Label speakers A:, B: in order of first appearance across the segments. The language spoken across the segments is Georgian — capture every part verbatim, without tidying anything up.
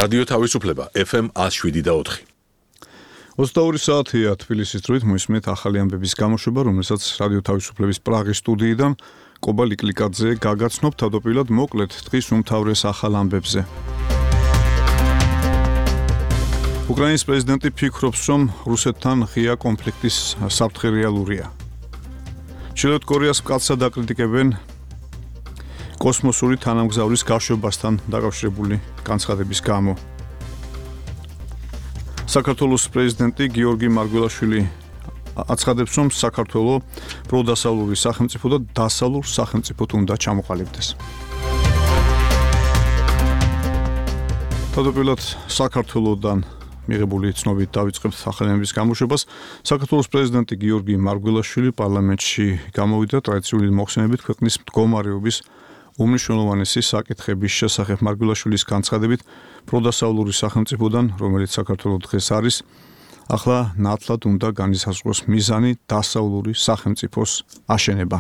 A: რადიო თავისუფლება ეფ ემ ათს შვიდი და ოთხი.
B: ოცდაორი საათია თბილისის დროით მოისმენთ ახალი ამბების გამოშვება, რომელსაც რადიო თავისუფლების პრაღის სტუდიიდან კობა ლიკლიკაძე გაგაცნობ თავდაპირველად მოკლედ დღის უმთავრეს ახალ ამბებზე. უკრაინის პრეზიდენტი ფიქრობს, რომ რუსეთთან ღია კონფლიქტის საფრთხე რეალურია. ჩრდილოეთ კორეას მკაცრად აკრიტიკებენ კოსმოსური თანამგზავრის გაშვებასთან დაკავშირებული განცხადების გამო. საქართველოს პრეზიდენტი გიორგი მარგველაშვილი აცხადებს, რომ საქართველო პროდასავლური სახელმწიფო და დასავლურ სახელმწიფოდ უნდა ჩამოყალიბდეს. თავდაპირველად საქართველოდან მიღებული ცნობით დავიწყებთ ახალი ამბების გამოშვებას. საქართველოს პრეზიდენტი გიორგი მარგველაშვილი პარლამენტში გამოვიდა ტრადიციული მოხსენებით ქვეყნის მდგომარეობის უმნიშვნელოვანესი საკითხების შესახებ. მარგველაშვილის განცხადებით, პროდასავლური სახელმწიფოდან, რომელიც საქართველოს დღეს არის, ახლა ნათლად უნდა განისაზღვროს მიზანი დასავლური სახელმწიფოს აშენება.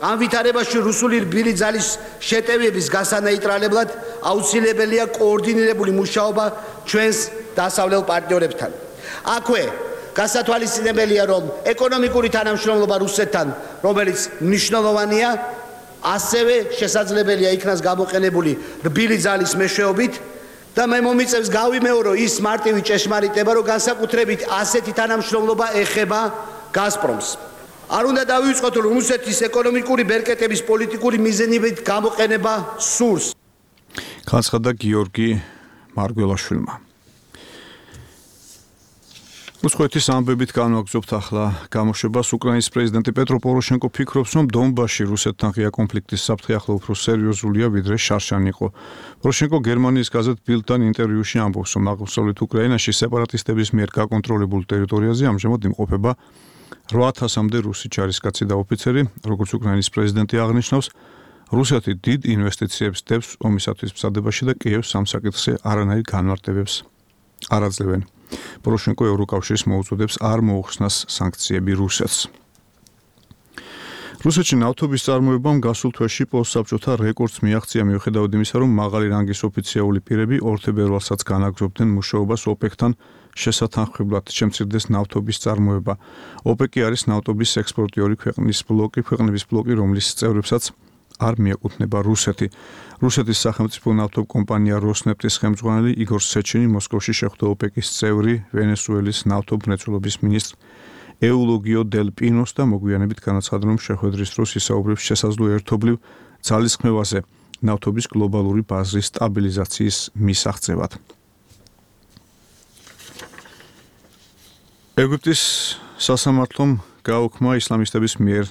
C: ამ ვითარებაში რუსული რბილი ძალის შეტევების გასანეიტრალებლად აუცილებელია კოორდინირებული მუშაობა ჩვენს დასავლელ პარტნიორებთან. აქვე გასათვალისწინებელია, რომ ეკონომიკური თანამშრომლობა რუსეთთან, რომელიც მნიშვნელოვანია, ასევე შესაძლებელია იქნას გამოყენებული რბილი ძალის მეშვეობით და მე მომიწევს გავიმეორო ის მარტივი ჭეშმარიტება, რომ განსაკუთრებით ასეთი თანამშრომლობა ეხება გაზპრომს. არ უნდა დავივიწყოთ, რომ რუსეთის ეკონომიკური ბერკეტების პოლიტიკური მიზნებით გამოყენება სურს.
B: განცხადა გიორგი მარგველაშვილმა. რუსეთის ამბებით განვაგრძობთ ახლა გამოშვებას. უკრაინის პრეზიდენტი პეტრო პოროშენკო ფიქრობს, რომ დონბასში რუსეთთან ღია კონფლიქტის საფრთხე ახლა უფრო სერიოზულია, ვიდრე შარშანი იყო. პოროშენკო გერმანიის გაზეთ ბილდთან ინტერვიუში ამბობს, რომ აღმოსავლეთ უკრაინაში სეპარატისტების მიერ გაკონტროლებულ ტერიტორიაზე ამჟამად იმყოფება რვა ათასამდე რუსი ჯარისკაცი და ოფიცერი. როგორც უკრაინის პრეზიდენტი აღნიშნავს, რუსეთი დიდ ინვესტიციებს დებს ომისათვის მზადებაში და კიევს ამ საკითხზე არანაირ განმარტებებს არ აძლევენ. პოროშენკო ევროკავშირს მოუწოდებს არ მოუხსნას სანქციები რუსეთს. რუსეთში ნავთობის წარმოებამ გასულ თვეში პოსტსაბჭოთა რეკორდს მიაღწია, მიუხედავად იმისა, რომ მაღალი რანგის ოფიციალური პირები ორ თებერვალსაც განაგრძობდნენ მუშაობას ოპეკთან შესათანხმებლად შემცირდეს ნავთობის წარმოება. ოპეკი არის ნავთობის ექსპორტიორი ქვეყნის ბლოკი, ქვეყნების ბლოკი, რომლის წევრებსაც არ მიაკუთვნება რუსეთი. რუსეთის სახელმწიფო ნავთობკომპანია როსნეფტის ხელმძღვანელი იგორ სეჩინი მოსკოვში შეხვდა ოპეკის წევრი ვენესუელის ნავთობმრეწველობის მინისტრ ეულოგიო დელ პინოს და მოგვიანებით განაცხადა, რომ შეხვედრის დროს ისაუბრებს შესაძლო ერთობლივ ძალისხმევაზე ნავთობის გლობალური ბაზრის სტაბილიზაციის მისაღწევად. ეგვიპტის სასამართლომ გააუქმა ისლამისტების მიერ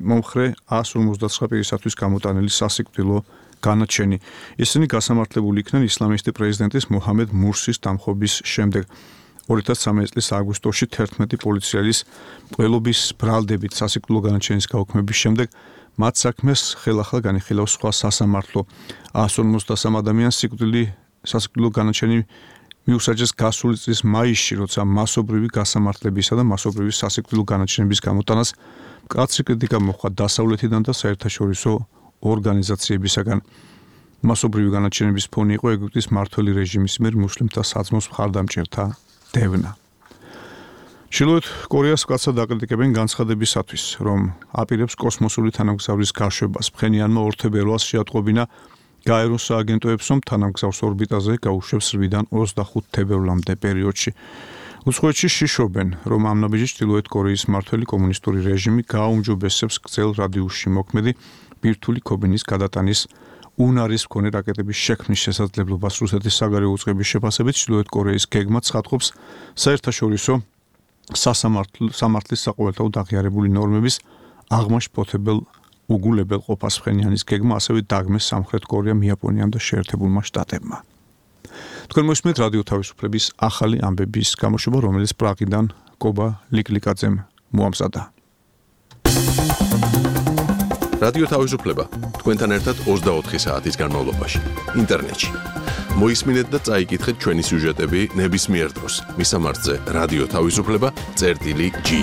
B: მომხრე ას ორმოცდაცხრა პირისათვის გამოტანილი სასიკვდილო განაჩენი. ისინი გასამართლებული იქნენ ისლამისტი პრეზიდენტის მოჰამედ მურსის დამხობის შემდეგ. ორი ათას ცხრამეტი წლის აგვისტოში თერთმეტი პოლიციელის მკვლელობის ბრალდებით სასიკვდილო განაჩენის გაუქმების შემდეგ მათ საქმეს ხელახლა განიხილავს სხვა სასამართლო. ას ორმოცდასამ ადამიანს სიკვდილი სასიკვდილო განაჩენი მიუსაჯეს გასული წლის მაისში, როცა მასობრივი გასამართლებისა და მასობრივი სასიკვდილო განაჩენების გამოტანას მკაცრი კრიტიკა მოჰყვა დასავლეთიდან და საერთაშორისო ორგანიზაციებისაგან. მასობრივი განაჩენების ფონი იყო ეგვიპტის მმართველი რეჟიმის მიერ მუსლიმთა საძმოს მხარდამჭერთა დევნა. ჩრდილოეთ კორეას მკაცრად აკრიტიკებენ განცხადებისათვის, რომ აპირებს კოსმოსური თანამგზავრის გაშვებას. ფხენიანმა ორ თებერვალს შეატყობინა გაეროს სააგენტოებს, რომ თანამგზავრს ორბიტაზე გაუშვებს რვიდან ოცდახუთ თებერვლამდე პერიოდში. უცხოეთში შიშობენ, რომ ამ ნაბიჯით ჩრდილოეთ კორეის მმართველი კომუნისტური რეჟიმი გააუმჯობესებს გრძელ რადიუსში მოქმედი ბირთვული ქობინის გადატანის უნარის მქონე რაკეტების შექმნის შესაძლებლობას. რუსეთის საგარეო უწყების შეფასებით ჩრდილოეთ კორეის გეგმა ცხადყოფს საერთაშორისო სასამართლის საყოველთაოდ აღიარებული ნორმების აღმაშფოთებელ უგულებელ ყოფას. ფხენიანის გეგმა ასევე დაგმეს სამხრეთ კორეამ, იაპონიამ და შეერთებულმა შტატებმა. თქვენ მოსმენთ რადიო თავისუფლების ახალი ამბების გამოშვება, რომელიც პრაღიდან კობა ლიკლიკაძემ მოამზადა.
A: რადიო თავისუფლება თქვენთან ერთად ოცდაოთხი საათის განმავლობაში ინტერნეტში. მოისმინეთ და წაიკითხეთ ჩვენი სიუჟეტები ნებისმიერ დროს. მისამართზე რადიო თავისუფლება წერტილი ჯი.